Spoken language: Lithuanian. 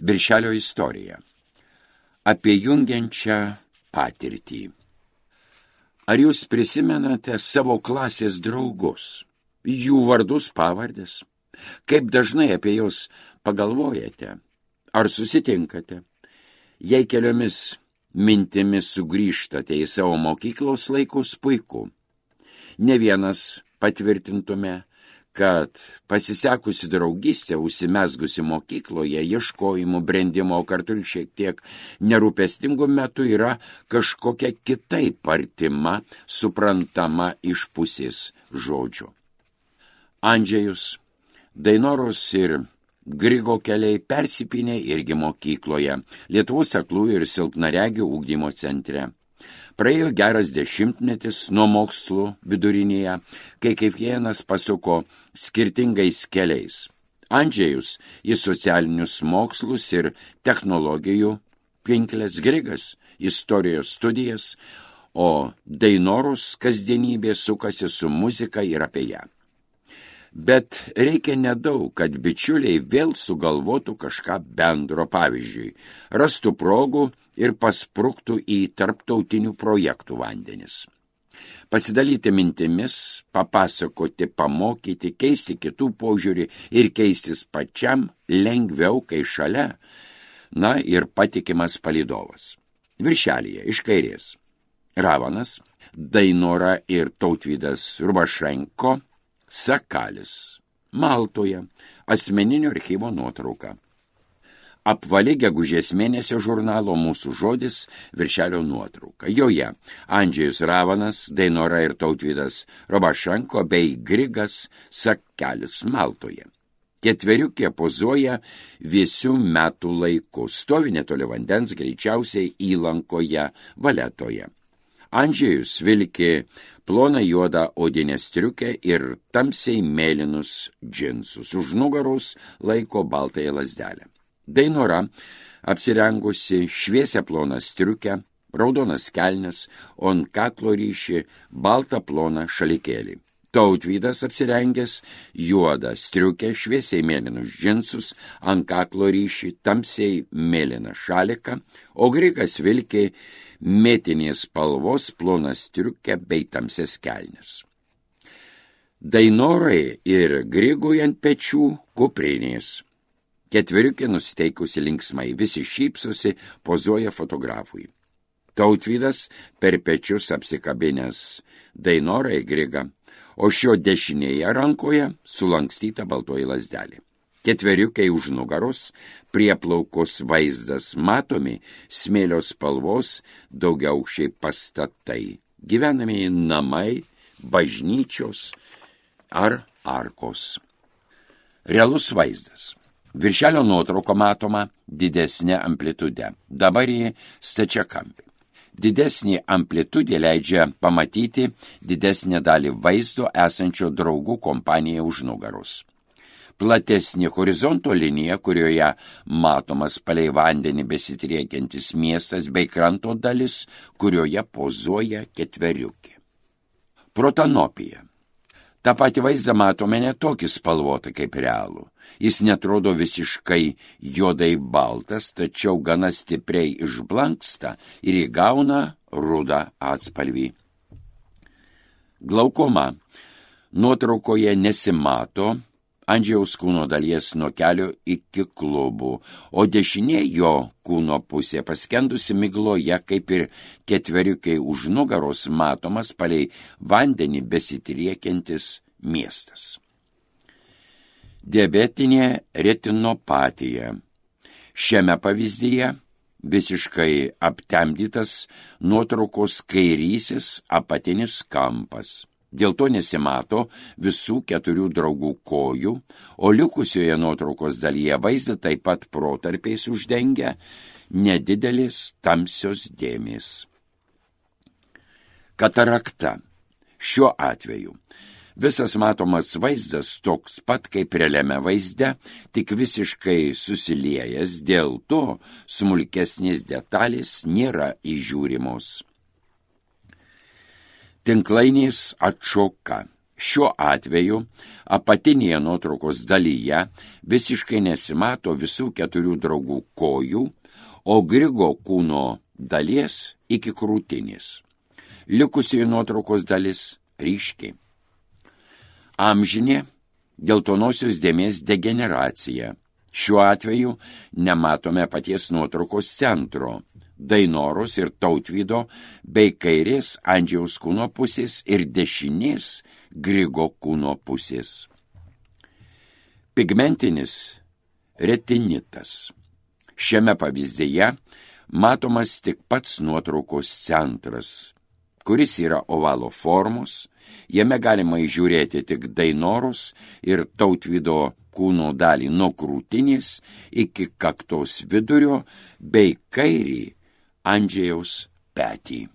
Viršelio istorija. Apie jungiančią patirtį. Ar jūs prisimenate savo klasės draugus, jų vardus, pavardės? Kaip dažnai apie juos pagalvojate? Ar susitinkate? Jei keliomis mintimis sugrįžtate į savo mokyklos laikus, puiku. Ne vienas patvirtintume, kad pasisekusi draugystė, užsimezgusi mokykloje, ieškojimų, brendimo, kartu ir šiek tiek nerūpestingų metų yra kažkokia kitaip artima, suprantama iš pusės žodžio. Andžejus, Dainoros ir Grigo keliai persipynė irgi mokykloje, Lietuvos aklųjų ir silpnaregių ugdymo centre. Praėjo geras 10 nuo mokslų vidurinėje, kai kiekvienas pasuko skirtingais keliais. Andžejus į socialinius mokslus ir technologijų pinkles, Grigas istorijos studijas, o Dainoros kasdienybė sukasi su muzika ir apie ją. Bet reikia nedaug, kad bičiuliai vėl sugalvotų kažką bendro, pavyzdžiui, rastų progų ir paspruktų į tarptautinių projektų vandenis. Pasidalyti mintimis, papasakoti, pamokyti, keisti kitų požiūrį ir keistis pačiam lengviau, kai šalia, ir patikimas palydovas. Viršelyje iš kairės Ravanas, Dainora ir Tautvydas Rubašenko, Sakalis, Maltoje, asmeninio archyvo nuotrauka. Apvali gegužės mėnesio žurnalo Mūsų žodis viršelio nuotrauka. Joje Andžejus Ravanas, Dainora ir Tautvydas Rubašenko bei Grigas Sakalis Maltoje. Ketveriukė pozuoja vėsių metų laiku, stovi netoli vandens, greičiausiai įlankoje Valetoje. Andžejus vilki ploną juodą odinę striukę ir tamsiai mėlynus džinsus. Už nugaros laiko baltąją lazdelę. Dainora apsirengusi šviesią ploną striukę, raudonas kelnes, o ant kaklo ryši baltą ploną šalikėlį. Tautvydas apsirengęs juodą striukę, šviesiai mėlynus džinsus, ant kaklo ryši tamsiai mėlyną šaliką, o Grigas vilki mėtinės spalvos ploną striukę bei tamsias kelnes. Dainorai ir Grigui ant pečių kuprinės. Ketveriukė nusiteikusi linksmai, visi šypsosi, pozuoja fotografui. Tautvydas per pečius apsikabinęs Dainorą ir Grigą, o šio dešinėje rankoje sulankstyta baltoji lazdelė. Ketveriukai už nugaros, prieplaukos vaizdas matomi, smėlio spalvos, daugiaaukščiai pastatai, gyvenamieji namai, bažnyčios ar arkos. Realus vaizdas. Viršelio nuotrauko matoma didesnė amplitude, dabar į stačiakampį. Didesnė amplitudė leidžia pamatyti didesnę dalį vaizdo esančio draugų kompaniją už nugaros. Platesnė horizonto linija, kurioje matomas palei vandenį besitriekiantis miestas bei kranto dalis, kurioje pozuoja ketveriukė. Protanopija. Ta pati vaizdą matome ne tokį spalvotą kaip realų. Jis netrodo visiškai juodai baltas, tačiau gana stipriai išblanksta ir įgauna rudą atspalvį. Glaukoma. Nuotraukoje nesimato Andžejaus kūno dalies nuo kelio iki klubų, o dešinė jo kūno pusė paskendusi migloje, kaip ir ketveriukai už nugaros matomas palei vandenį besitriekiantis miestas. Diabetinė retinopatija. Šiame pavyzdyje visiškai aptemdytas nuotraukos kairysis apatinis kampas. Dėl to nesimato visų 4 draugų kojų, o likusioje nuotraukos dalyje vaizdą taip pat protarpiais uždengia nedidelis tamsios dėmės. Katarakta. Šiuo atveju visas matomas vaizdas toks pat kaip realiame vaizde, tik visiškai susiliejęs, dėl to smulkesnės detalės nėra įžiūrimos. Tinklainės atšoka. Šiuo atveju apatinėje nuotraukos dalyje visiškai nesimato visų 4 draugų kojų, o Grigo kūno dalies iki krūtinės. Likusioji nuotraukos dalis ryški. Amžinė geltonosios dėmės degeneracija. Šiuo atveju nematome paties nuotraukos centro, Dainoros ir Tautvydo, bei kairės Andžejaus kūno pusės ir dešinės Grigo kūno pusės. Pigmentinis retinitas. Šiame pavyzdyje matomas tik pats nuotraukos centras, kuris yra ovalo formos, jame galima įžiūrėti tik Dainoros ir Tautvydo kūno dalį nuo krūtinės iki kaktos vidurio bei kairį Andžejaus petį.